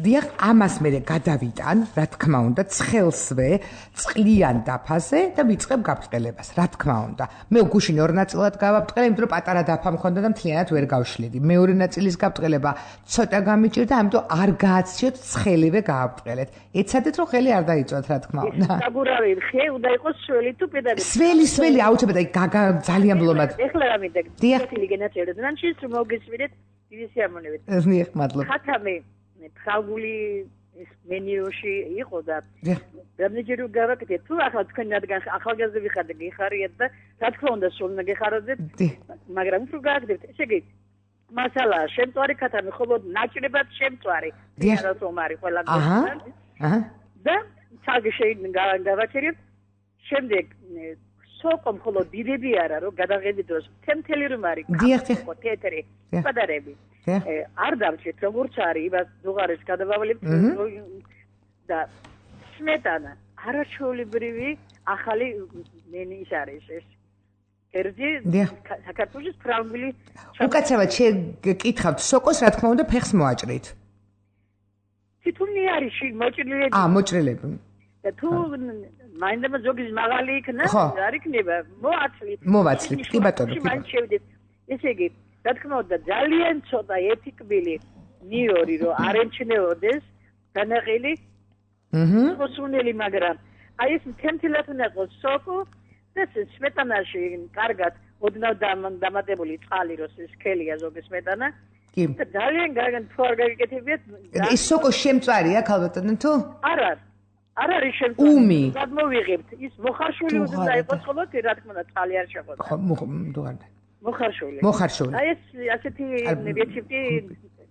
დიახ ამას მე გადავიტან რა თქმა უნდა ცხელსვე წყლიან დაფაზე და ვიწყებ გაფრთხილებას, რა თქმა უნდა. მე გუშინ ორ ნაწილად გავაფრთხილე, იმიტომ რომ პატარა დაფა მქონდა და მთლიანად ვერ გავშლიდი. მეორე ნაწილის გაფრთხილება ცოტა გამიჭირდა, ამიტომ არ გააცდიოთ ცხელივე გააფრთხილეთ. ეცადეთ რომ ხელი არ დაიწვათ, რა თქმა უნდა. საგურავი ხე უნდა იყოს სველი თუ პედაგოგი. სველი, სველი აუცილებლად გაგა ძალიან ბლომად. ეხლა რა მინდა? დიახ. ინტელიგენციად და შენს რომ მოგესმენთ, დიდი სიამოვნებით. დიახ, მადლობა. ხათამი ფრანგული ის მენიუში იყო და რამდენჯერ გავაკეთე თუ ახლა თქვენ რადგან ახალგაზრდები ხართ და გიხარიათ და რა თქმა უნდა სულ უნდა გეხაროთ მაგრამ თუ გააკეთებთ ესე იგი მასალა შემწვარი ქათამი ხოლოდ ნაჭრებად შემწვარი რა თქმა არის ყველა გასთან და თალგე შეიძლება გავაჩერებ შემდეგ სოკო მხოლოდ დიდები არა რომ გადაღები დროს თემთელი რომ არის ხო თეთრი პატარები არ დავჭეთ როგორც არის იმას დუღარეს გადავავლებთ და სმეტანა არაჩვეულებრივი ახალი მენი ის არის ეს კერძი საქართველოს ფრანგული უკაცრავად შეგკითხავთ სოკოს რა თქმა უნდა ფეხს მოაჭრით თითქმის არის მოჭრილები აა მოჭრილები და თუ მაინდა ზოგის მაღალი იქნა არ იქნება მოაცლით მოვაცლით კი ბატონო კი ბატონო შევიდეთ ესე იგი რა თქმა უნდა ძალიან ცოტა ერთი კბილი ნიორი რომ არ ემჩნეოდეს განაყილი აჰა მოსუნელი მაგრამ აი ეს თემთილად უნდა იყოს სოკო და სმეტანაში კარგად ოდნავ დამატებული წყალი როს ეს ქელია ზოგი სმეტანა კი და ძალიან კარგად თوار გაგიკეთებიათ ეს სოკო შემწვარია ქალბატონო თუ არ არის არ არის შემწვარი უმი გადმოვიღებთ ის მოხარშული უნდა იყოს ხოლმე რა თქმა უნდა წყალი არ შეყოლა ხო დუღარდა მოხარშული მოხარშული აი ეს ასეთი რეცეპტი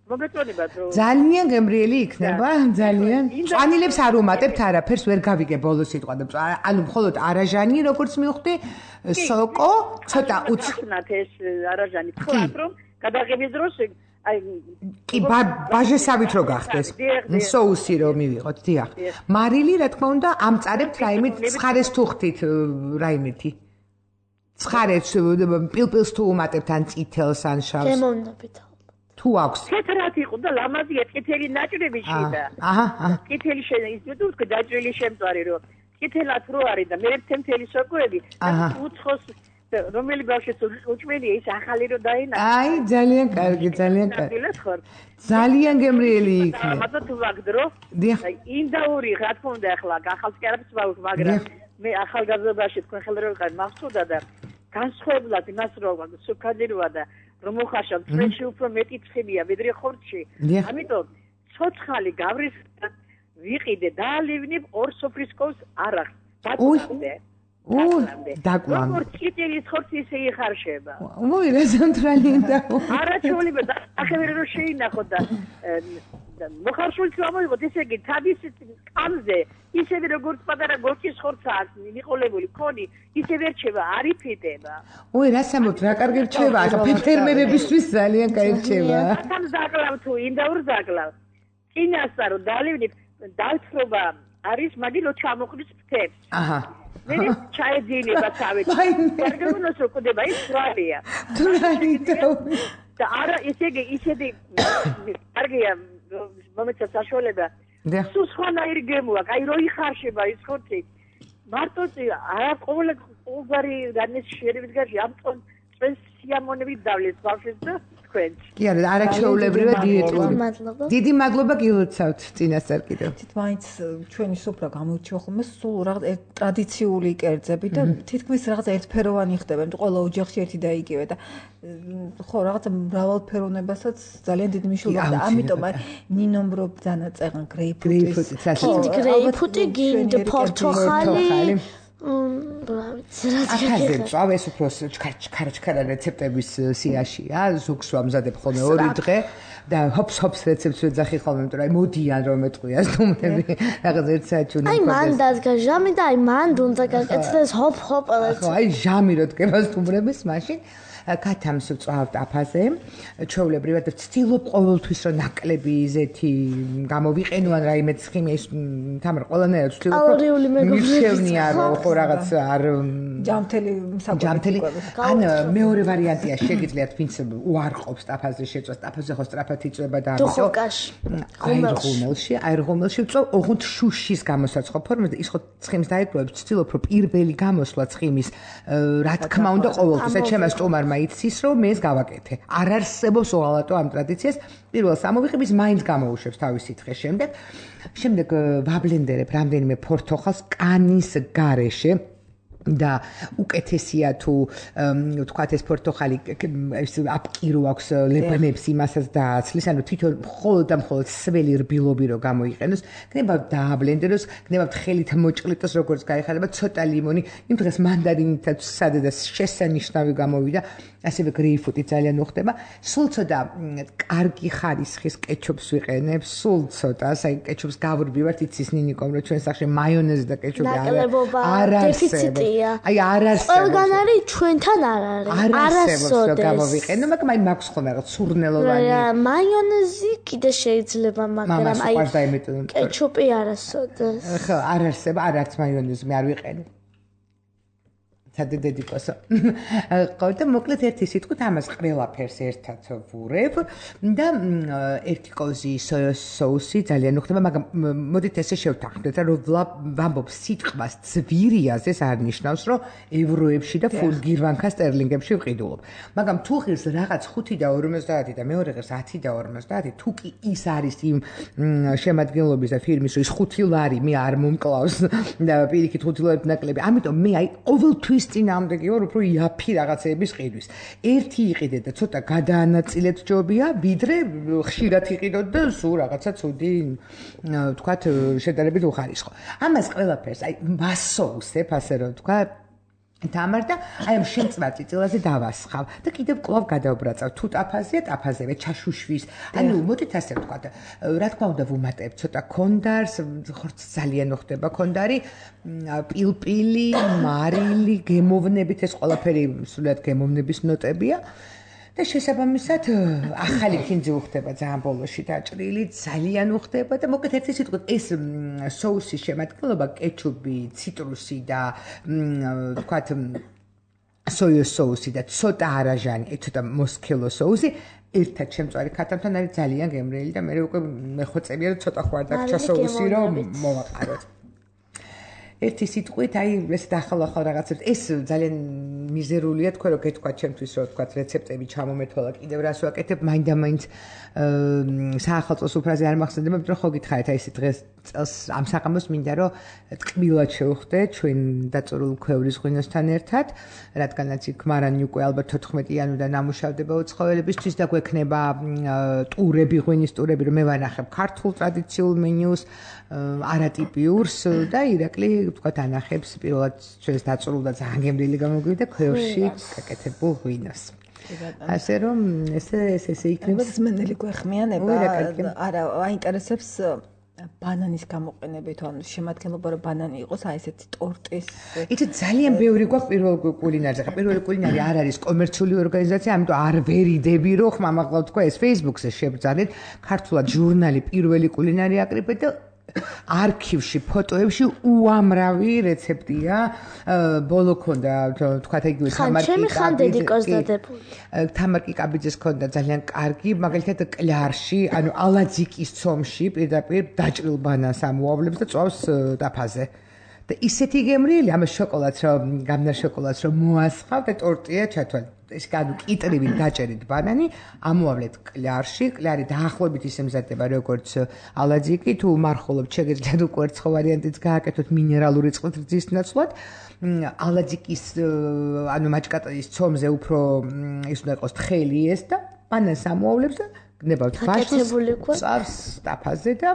მოგეწონებათ რომ ძალიან გემრიელი იქნება ძალიან წვანილებს არ უმატებთ არაფერს ვერ გავიგე ბოლოს სიტყვა და ანუ მხოლოდ არაჟანი როგორც მივხვდი სოკო ცოტა უცნათ ეს არაჟანი თქვა რომ გადაღების დროს აი კი ბაჟესავით რო გახდეს соуსი რო მივიღოთ დიახ მარილი რა თქმა უნდა ამწარებთ რაიმე ცხარეს თუხთით რაიმეთი ცხარებს პილპილს თუ უმატებთ ან წითელს ან შავს გემოვნებით თუ აქვს თეთრად იყო და ლამაზია წითელი ნაჭრები შიდა აჰა აჰა წითელი შენ ის თუ თქვი დაჭრილი შემწვარი რომ წითელად რო არის და მე თემთელი სოკოები უცხოს რომელი ბავშვიც უჭმელია ის ახალი რო დაინახა აი ძალიან კარგი ძალიან კარგი ძალიან გემრიელი იქნება მაგრამ თუ ვაგდრო ინდაური რა თქმა უნდა ახლა ახალს კი არაფერს ვაუხ მაგრამ მე ახალგაზრდობაში თქვენ ხელს რო ვიყავ მახსოვდა და განსხვავებულად იმას რო სუქადირვა და რომ მოხაშავ წვენში უფრო მეტი ცხიმია ვიდრე ხორცში ამიტომ ცოცხალი გავრის ვიყიდე დაალევნებ ორ სოფრისკოვს არახს დაკვლამდე უ დაკლამ როგორ წითელი ხორცი ისე იხარშება მოი რა ზამთრალინდა არაჩვეულება და ახევერე რომ შეინახო და მოხარშულს გამოიღოთ ესე იგი თავის კამზე ისევე როგორც პატარა გორჩის ხორცა აქვს მიყოლებული ქონი ისევე რჩება არ იფიტება უი რა სამოთ რა კარგი რჩება ახლა ფერმერებისთვის ძალიან კარგი რჩება თან დაკლავ თუ ინდაურ დაკლავ წინასწარ დალევნებ დალთრობა არის მაგილო ჩამოხდის ფრთებს აჰა მე ჩაეძინება თავი პერგამონოს რო ყდება ის ბრალია და არა ისე იგი ისეთი კარგია მომეცა საშუალება სულ სხვანაირი გემოაქვს აი რო იხარშება ის ხორცი მარტო არა ყოველ ყოველგვარი განეს შეერებით გარშე ამ წონს სიამოვნებით დავლეს ბავშვებს და თქვენში. კი არა, არაჩვეულებრივად დიეტური. დიდი მადლობა გილოცავთ წინასწარ კიდევ. თით მაინც ჩვენი სუფრა გამოირჩევა ხოლმე სულ რაღაც ტრადიციული კერძები და თითქმის რაღაც ერთფეროვანი ხდება, იმიტომ ყველა ოჯახში ერთი და იგივე და ხო რაღაც მრავალფეროვნებასაც ძალიან დიდი მნიშვნელობა და ამიტომ ნინომ რო დანაწეღან გრეიპფრუტის გრეიპფრუტი გინდ პორტოხალი აკაზე წავ ეს უფრო ჩქარა-ჩქარა რეცეპტების სიაშია, ზუგს ვამზადებ ხოლმე ორი დღე და ჰოპს ჰოპს რეცეპტს ვეძახი ხოლმე, იმიტომ რომ მოდიან რომ ეტყვიას ნუმრები რაღაც ერთ საათში უნდა აი მან დადგა ჟამი და აი მან უნდა გაკეთდეს ჰოპ ჰოპ ხო აი ჟამი რო დგებას ნუმრების მაშინ კათამს ვწავთ აფაზე, ჩვეულებრივად ვცდილობ ყოველთვის რომ ნაკლები ზეთი გამოვიყენო ან რაიმე ცხიმის თამარ ყველანაირად ვცდილობ რომ მირჩევნია რომ ხო რაღაც არ ჯამთელი ჯამთელი ან მეორე ვარიანტია შეგიძლიათ ვინც უარყოფს აფაზე შეწვას აფაზე ხო სწრაფად იწვება და ამისო ღუმელში აი ღუმელში ვწავ ოღონდ შუშის გამოსაცხო ფორმაზე ის ხო ცხიმს დაიგროვებს ვცდილობ რომ პირველი გამოსვლა ცხიმის რა თქმა უნდა ყოველთვის ეს ჩემს სტომარმა იცის რომ მე ეს გავაკეთე. არ არსებობს უღალატო ამ ტრადიციას. პირველს ამოვიღებს მაინც გამოუშვებს თავისი თხე შემდეგ. შემდეგ ვაბლენდერებ რამდენიმე ფორთოხალს კანის გარეშე და უკეთესია თუ ვთქვათ ეს პორტოხალი აპკირო აქვს ლებნებს იმასაც დააცლის, ანუ თვითონ მხოლოდ და მხოლოდ სველი რბილობი რო გამოიყენოს, გნებავთ დააბლენდეროს, გნებავთ ხელით მოჭყლიტოს როგორც გაიხარება, ცოტა ლიმონი, იმ დღეს მანდარინითაც სადადას შესანიშნავი გამოვიდა, ასევე გრეიპფრუტი ძალიან უხდება, სულ ცოტა კარგი ხარისხის კეჩუპს ვიყენებ, სულ ცოტა, აი კეჩუპს გავრბივართ, იცის ნინიკომ რომ ჩვენ სახში მაიონეზი და კეჩუპი არ არის. აი არ არსებობს. ყველგან არის, ჩვენთან არ არის. არ არსებობს გამოვიყენო, მაგრამ აი მაქვს ხოლმე რაღაც სურნელოვანი. მაიონეზი კიდე შეიძლება, მაგრამ აი კეჩუპი არასოდეს. ხო, არ არსება, არ არის მაიონეზი, მე არ ვიყენე. დედიკოსო. ხო და მოკლედ ერთი სიტყვით ამას ყველაფერს ერთად ვურებ და ერთი კოზი სოიოს соуსი ძალიან უხდება, მაგრამ მოდით ესე შევთანხმდეთ, რომ ვამბობ სიტყვას ძვირიაზე არ ნიშნავს, რომ ევროებში და ფულგირვანქა სტერლინგებში ვყიდულობ. მაგრამ თუ ღირს რაღაც ხუთი და ორმოცდაათი და მეორე ღირს ათი და ორმოცდაათი, თუ კი ის არის იმ შემადგენლობის და ფირმის, რომ ის ხუთი ლარი მე არ მომკლავს და პირიქით ხუთი ლარი ნაკლები. ამიტომ მე აი ყოველთვის წინააღმდეგი ვარ უფრო იაფი რაღაცეების ყიდვის. ერთი იყიდეთ და ცოტა გადაანაწილეთ ჯობია, ვიდრე ხშირად იყიდოთ და სულ რაღაცა ცუდი ვთქვათ შედარებით უხარისხო. ამას ყველაფერს აი მასოუსებ, ასე რომ ვთქვათ თამარ და აი ამ შემწვარ წიწილაზე დავასხავ და კიდევ კვლავ გადავბრაწავ. თუ ტაფაზია, ტაფაზევე ჩაშუშვის. ანუ მოდით ასე ვთქვათ, რა თქმა უნდა ვუმატებ ცოტა კონდარს, ხორც ძალიან უხდება კონდარი, პილპილი, მარილი, გემოვნებით ეს ყველაფერი სულად გემოვნების ნოტებია. და შესაბამისად ახალი ფინძი უხდება ძალიან ბოლოში დაჭრილი, ძალიან უხდება და მოკლედ ერთი სიტყვით ეს соуსის შემადგენლობა კეჩუპი, ციტრუსი და ვთქვათ სოიოს соуსი და ცოტა არაჟანი, ცოტა მოსქელო соуსი ერთად შემწვარი ქათამთან არის ძალიან გემრიელი და მე უკვე მეხვეწებია რომ ცოტა ხوار დაგჭა соуსი რომ მოვაყაროთ. ერთი სიტყვით აი ეს დახალ-ახალ რაღაცებს ეს ძალიან მიზერულია თქვენ რო გეთქვა ჩემთვის რომ თქვა რეცეპტები ჩამომეთვალა კიდევ რას ვაკეთებ მაინდა-მაინც საახალწლო სუფრაზე არ მახსენდება იმიტომ რომ ხო გითხარით აი ეს დღეს წელს ამ საღამოს მინდა რომ ტკბილად შევხვდე ჩვენ დაწურულ ქვევრის ღვინოსთან ერთად რადგანაც იქ მარანი უკვე ალბათ თოთხმეტი იანვრიდან ამუშავდება უცხოელებისთვის და გვექნება ტურები ღვინის ტურები რომ მე ვანახებ ქართულ ტრადიციულ მენიუს არატიპიურს და ირაკლი ვთქვათ ანახებს პირველად ჩვენს დაწურულ და ძალიან გემრიელი გამოგვივიდა ქვევრში გაკეთებულ ღვინოს. ასე რომ ესე ესე იქნება სმენელი გვეხმიანება არა აინტერესებს ბანანის გამოყენებით ანუ შემადგენლობა რომ ბანანი იყოს აი ესეთი ტორტის იცი ძალიან ბევრი გვაქვს პირველ კულინარზე ხა პირველი კულინარი არ არის კომერციული ორგანიზაცია ამიტომ არ ვერიდები რომ ხმამაღლა თქვა ეს Facebook-ზე შევძალეთ ქართულად ჟურნალი პირველი კულინარი აკრიფეთ და არქივში, ფოტოებში უამრავი რეცეპტია. ბოლო ქონდა, თქვათ იგივე თამარ კიკაბიძეს ქონდა ძალიან კარგი, მაგალითად კლარში, ანუ ალაძიკის ცომში პირდაპირ დაჭრილ ბანანს ამოავლებს და წვავს დაფაზე. და ისეთი გემრიელი, ამას შოკოლადს რომ გამნა შოკოლადს რომ მოასხავ და ტორტია ჩათვალ. ეს განუ კიტრივით დაჭერით ბანანი, ამოავლეთ კლარში, კლარი დაახლოებით ისე მზადდება როგორც ალაძიკი, თუ მარხულობთ შეგიძლიათ უკვე ერთხელ ვარიანტიც გააკეთოთ მინერალური წყლით რძის ნაცვლად. ალაძიკის ანუ მაჭკატის ცომზე უფრო ის უნდა იყოს თხელი ეს და ბანანს ამოავლებს და გნებავთ ბაშოს წავს სტაფაზე და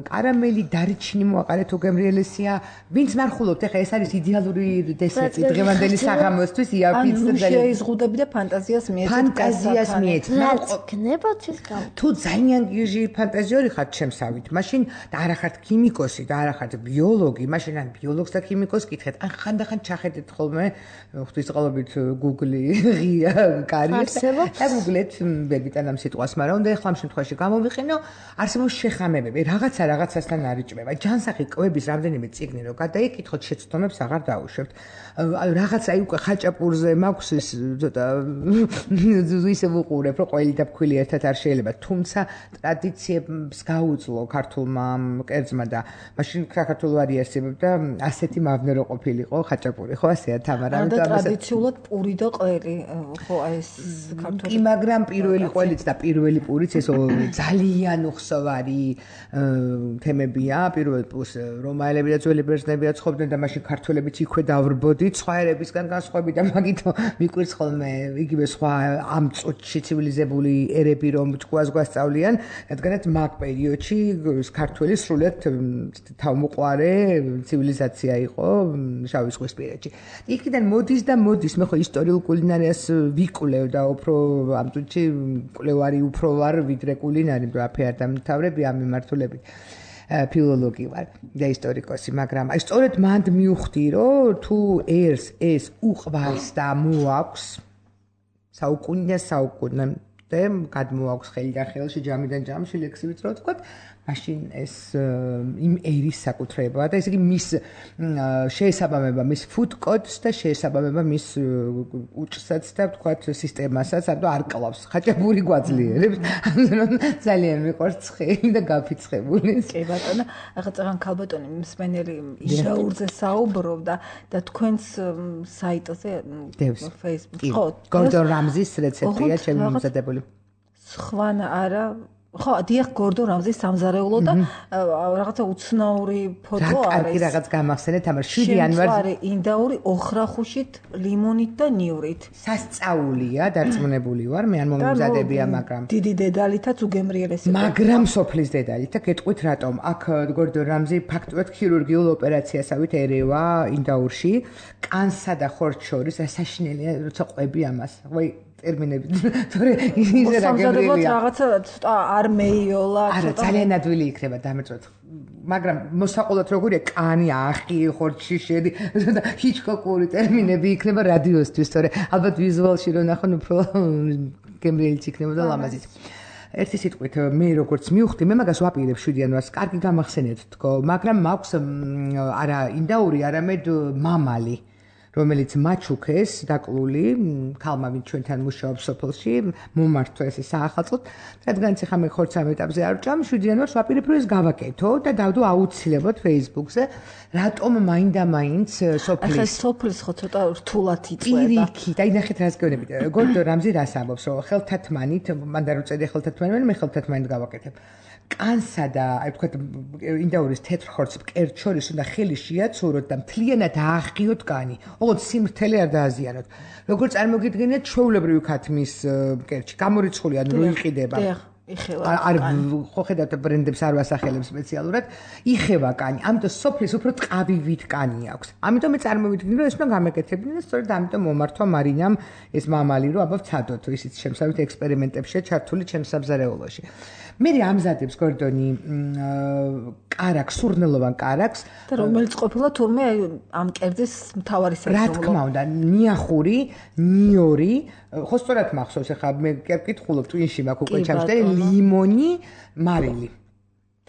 კარამელი დარიჩინი მოაყარეთ თუ გემრიელესია ვინც მარხულობთ ეხა ეს არის იდეალური დესერტი დღევანდელი საღამოსთვის იაფიც და შეიზღუდები და ფანტაზიას მიეცეთ ფანტაზიას მიეცეთ გნებავთ ის გამ თუ ძალიან გიჟი ფანტაზიორი ხართ შემსავით მაშინ და არა ხართ ქიმიკოსი და არა ხართ ბიოლოგი მაშინ ან ბიოლოგს და ქიმიკოსს კითხეთ ან ხანდახან ჩახედეთ ხოლმე ღვთისმწყალობით Google-ი ღია კარიერს და Google-ეთ ვერბიტან ამ სიტყვას მაგრამ უნდა ეხლა ამ შემთხვევაში გამოვიყენო არსებობს შეხამებები რაღაცა რაღაცასთან არიჭმება ჯანსაღი კვების რამდენიმე წიგნი რო გადაიკითხოთ შეცდომებს აღარ დაუშვებთ ანუ რაღაც აი უკვე ხაჭაპურზე მაქვს ის ცოტა ისე ვუყურებ რომ ყველი და ფქვილი ერთად არ შეიძლება თუმცა ტრადიციებს გაუძლო ქართულმა კერძმა და მაშინ საქართველოს არიასებდა ასეთი მავნე რო ყოფილიყო ხაჭაპური ხო ასეა თამარა და ტრადიციულად პური და ყველი ხო აი ეს ქართული კი მაგრამ პირველი ყველიც და პირველი პურიც ეს ძალიან უხსოვარი თემებია პირველ პურს რომაელები და ძველი ბერძნებია ცხოვრობდნენ და მაშინ ქართველებიც იქვე დავრბოდით სხვა ერებისგან განსხვავებით და მაგით მიკვირს ხოლმე იგივე სხვა ამ წუთში ცივილიზებული ერები რომ თქواس გვასწავლიან რადგანაც მაგ პერიოდში ქართველი სრულად თავმოყარე ცივილიზაცია იყო შავი ზღვისპირეთში იქიდან მოდის და მოდის მე ხო ისტორიულ კულინარიას ვიკვლევ და უფრო ამ წუთში კვლევარი უფრო ვარ ვიდრე კულინარი დააფე არ დამთავრები ამ მიმართულებით ფილოლოგი ვარ და ისტორიკოსი მაგრამ აი სწორედ მანდ მივხვდი რომ თუ ერს ეს უყვარს და მოაქვს საუკუნე საუკუნე და გადმოაქვს ხელი და ხელში ჯამიდან ჯამში ლექსივით რო თქვა მაშინ ეს იმ ერის საკუთრება და ესე იგი მის შეესაბამება მის food codes და შეესაბამება მის უჭსაც და თქვათ სისტემასაც ანუ არ კლავს ხაჭაპური გვაძლიერებს ანუ ძალიან მიყვარს ცხელი და გაფიცხებული კი ბატონო ახლა წაღან ქალბატონი მსმენელი იშაურზე საუბრობდა და თქვენს საიტზე Facebook ხო გორდონ რამზის რეცეპტია ჩემი მომზადებული სხვან არა ხო დიახ გორდონ რამზის სამზარეულო და რაღაცა უცნაური ფოტო არის. რა კარგი რაღაც გამახსენეთ ამას შვიდი იანვარზე ინდაური ოხრახუშით ლიმონით და ნივრით. სასწაულია დარწმუნებული ვარ მე ან მომზადებია მაგრამ დიდი დედალითაც უგემრიელესი. მაგრამ სოფლის დედალით და გეტყვით რატომ აქ გორდონ რამზი ფაქტობრივად ქირურგიულ ოპერაციასავით ერევა ინდაურში კანსა და ხორცს შორის საშინელია როცა ყვები ამას. ვაი ტერმინები თორე ისე რა გემრიელია რაღაცა ცოტა არ მეიოლა არა ძალიან ადვილი იქნება დამეწოთ მაგრამ მოსაყოლად როგორია კანი ახი ხორცში შედი და ჰიჩკოკური ტერმინები იქნება რადიოსთვის თორე ალბათ ვიზუალში რო ნახონ უფრო გემრიელიც იქნებოდა ლამაზიც ერთი სიტყვით მე როგორც მივხვდი მე მაგას ვაპირებ შვიდი იანვარს კარგი გამახსენეთ თქო მაგრამ მაქვს არა ინდაური არამედ მამალი რომელიც მაჩუქეს დაკლული ქალმა ვინც ჩვენთან მუშაობს სოფელში მომართვეს ეს საახალწლოდ რადგანაც ახლა მე ხორცს ამ ეტაპზე არ ვჭამ შვიდი იანვარს ვაპირებ რომ ეს გავაკეთო და დავდო აუცილებლად Facebook-ზე რატომ მაინდა-მაინც სოფლის ახლა სოფლის ხო ცოტა რთულად იწვება პირიქით აი ნახეთ რას გეუბნებით გორდონ რამზი რას ამბობს რომ ხელთათმანით მანდა რო წედი ხელთათმანი მე ხელთათმანით გავაკეთებ კანსა და აი თქვა ინდაურის თეთრ ხორცს მკერდ შორის უნდა ხელი შეაცუროთ და მთლიანად ააღიოთ კანი. ოღონდ სიმრთელე არ დააზიანოთ. როგორ წარმოგიდგენიათ ჩვეულებრივი ქათმის მკერდში გამორიცხული ან რო იყიდება. არ ხო ხედავთ ბრენდებს არ ვასახელებ სპეციალურად იხევა კანი ამიტომ სოფლის უფრო ტყავივით კანი აქვს ამიტომ მე წარმოვიდგინე რომ ეს უნდა გამეკეთებინა და სწორედ ამიტომ მომართვა მარინამ ეს მამალი რომ აბა ვცადოთ ისიც შემსავით ექსპერიმენტებშია ჩართული ჩემს სამზარეულოში მე ამზადებს გორდონი კარაქს სურნელოვან კარაქს და რომელიც ყოფილა თურმე ამ კერძის მთავარი სასწავლო რა თქმა უნდა ნიახური ნიორი ხო სწორად მახსოვს ახლა მე კითხულობ ტვინში მაქვს უკვე ჩამშტერი ლიმონი მარილი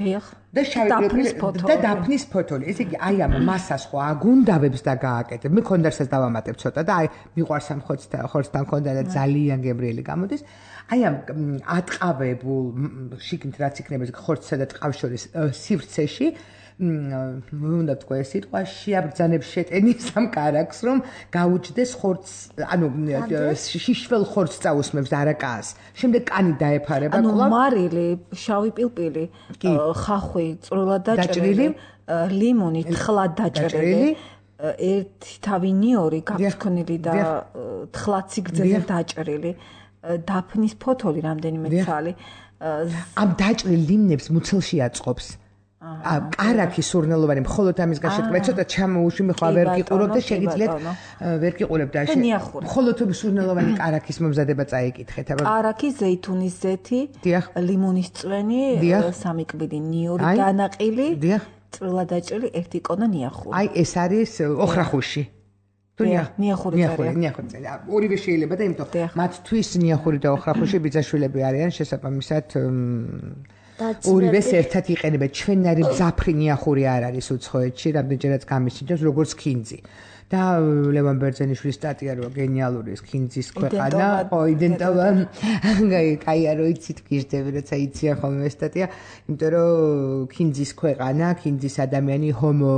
დიახ და შავი და დაფნის ფოთოლი ესე იგი აი ამ მასას ხო აგუნდავებს და გააკეთებ მე კონდერსაც დავამატებ ცოტა და აი მიყვარს ამ ხორცთან ხორცთან კონდა და ძალიან გემრიელი გამოდის აი ამ ატყავებულ შიგნით რაც იქნება ხორცსა და ტყავს შორის სივრცეში უნდა თქვა ეს სიტყვა შეაბრძანებს შეტენის ამ კარაქს რომ გაუჭდეს ხორცს ანუ შიშველ ხორცს წაусმებს არაკას შემდეგ კანი დაეფარება კლავ ანუ მარილი შავი პილპილი ხახვი წვრილად დაჭრილი ლიმონი თხლად დაჭრილი ერთი თავი ნიორი გაქვსქონილი და თხლად სიგრძეზე დაჭრილი დაფნის ფოთოლი რამდენიმე ცალი ამ დაჭრილ ლიმნებს მუცელში აწყობს კარაქი სურნელოვანი მხოლოდ ამის გაშეკრება ცოტა ჩამოუშვი მე ხა ვერ გიყურებ და შეგიძლიათ ვერ გიყურებ და მხოლოდ სურნელოვანი კარაქის მომზადება წაიკითხეთ აბა კარაქი ზეითუნის ზეთი ლიმონის წვენი სამი კვიდი ნიორი განაყილი წვრილად დაჭრილი ერთი კონა ნიახური აი ეს არის ოხრახუში ნიახური ნიახური ნიახური ორივე შეიძლება და იმიტომ მათთვის ნიახური და ოხრახუში ბიძაშვილები არიან შესაბამისად ორივეს ერთად იყენებენ ჩვენარი მძაფრი ნიახური არ არის უცხოეთში რამდენჯერაც გამისინჯებს როგორც ქინძი და ლევან ბერძენიშვილის სტატია როა გენიალური ეს ქინძის ქვეყანა ხო იდენტობა კაია რო იცით გიждები როცა იციან ხოლმე ეს სტატია იმიტომ რომ ქინძის ქვეყანა ქინძის ადამიანი ჰომო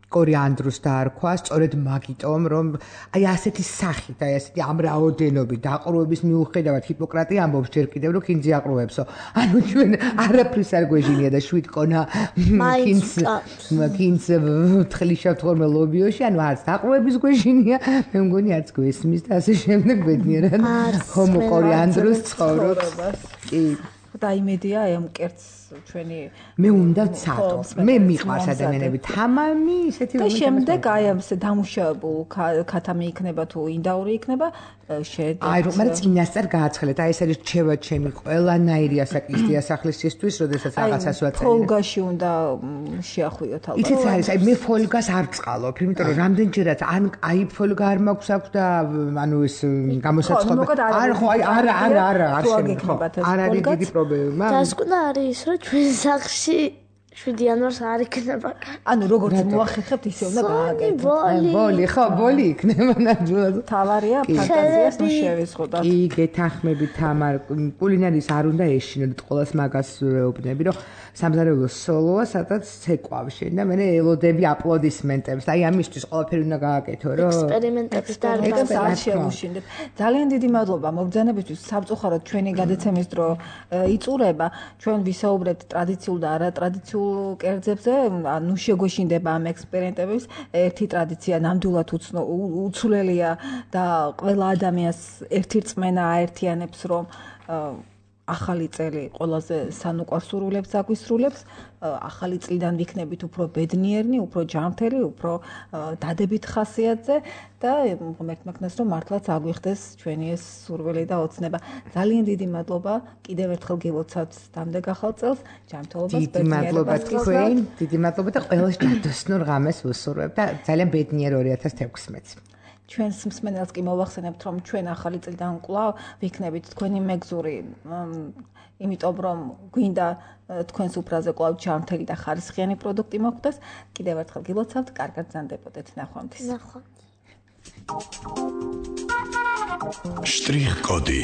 კორიანდრუს დაარქვა სწორედ მაგიტომ რომ აი ასეთი სახით აი ასეთი ამ რაოდენობით დაყრუების მიუხედავად ჰიპოკრატე ამბობს ჯერ კიდევ რომ ქინძი აყრუებსო ანუ ჩვენ არაფრის არ გვეჟინია და შვიდ კონა ქინძ ქინძ თხლიშავთ ხოლმე ლობიოში ანუ არც დაყრუების გვეჟინია მე მგონი არც გვესმის და ასე შემდეგ ბედნიერად ჰომო კორიანდრუს ცხოვრობს კი და იმედია აი ამ კერტს ჩვენი მე უნდა ცადო მე მიყვარს ადამიანები თამამი ისეთი და შემდეგ აი ამ დამუშავებულ ქათამი იქნება თუ ინდაური იქნება შეედა აი რომ მაგრამ წინასწარ გააცხელეთ აი ეს არის რჩევა ჩემი ყველანაირი ასაკის დიასახლისისთვის როდესაც რაღაცას ვაწერე ფოლგაში უნდა შეახვიოთ ალბათ იცით არის აი მე ფოლგას არ წყალობ იმიტომ რომ რამდენჯერაც ან აი ფოლგა არ მაქვს აქვს და ანუ ეს გამოსაცხობი არ ხო აი არა არა არა არ შემიძლია არ არის დიდი პრობლემა დასკვნა არის რომ ჩვენ სახში შვიდი იანვარს არ იქნება. ანუ როგორც მოახერხებთ ისე უნდა გააკეთოთ. ბოლი, ხო, ბოლი იქნება ნამდვილად. თავარია ფანტაზიას ნუ შევისხოთ. კი, გეთანხმები თამარ, კულინარიის არ უნდა ეშინოთ ყოველს მაგას ვეუბნები, რომ სამზარეულო სოლოა, სადაც ცეკვავში და მე ელოდები აპლოდისმენტებს. აი ამისთვის ყველაფერი უნდა გააკეთო, რომ ექსპერიმენტებს და არ შევუშინდეთ. ძალიან დიდი მადლობა მოგზანებისთვის. სამწუხაროდ ჩვენი გადაცემის დრო იწურება. ჩვენ ვისაუბრებთ ტრადიციულ და არატრადიციულ კერძებზე, ანუ შეგვეშინდება ამ ექსპერიმენტების ერთი ტრადიცია ნამდვილად უცვლელია და ყველა ადამიანს ერთი რწმენა აერთიანებს, რომ ახალი წელი ყველაზე სანუკვარსურულებს აგვისრულებს, ახალი წლიდან ვიქნებით უფრო ბედნიერნი, უფრო ჯანმრთელი, უფრო დადებით ხასიათზე და ღმერთმაგნას რომ მართლაც აგვიხდეს ჩვენი ეს სურვილი და ოცნება. ძალიან დიდი მადლობა, კიდევ ერთხელ გილოცავთ დამდეგ ახალ წელს, ჯანმრთელობას, დიდი მადლობა თქვენ, დიდი მადლობა და ყველას ჯადოსნურ ღამეს ვუსურვებ და ძალიან ბედნიერ ორი ათას თექვსმეტს. ჩვენს მსმენელს კი მოვახსენებთ, რომ ჩვენ ახალი წლიდან კვლავ ვიქნებით თქვენი მეგზური, იმიტომ რომ გვინდა თქვენს უფრაზე კვლავ ჯანმრთელი და ხარისხიანი პროდუქტი მოხვდეს. კიდევ ერთხელ გილოცავთ, კარგად გზანდებოდეთ, ნახვამდის. ნახვამდის. შტრიხ კოდი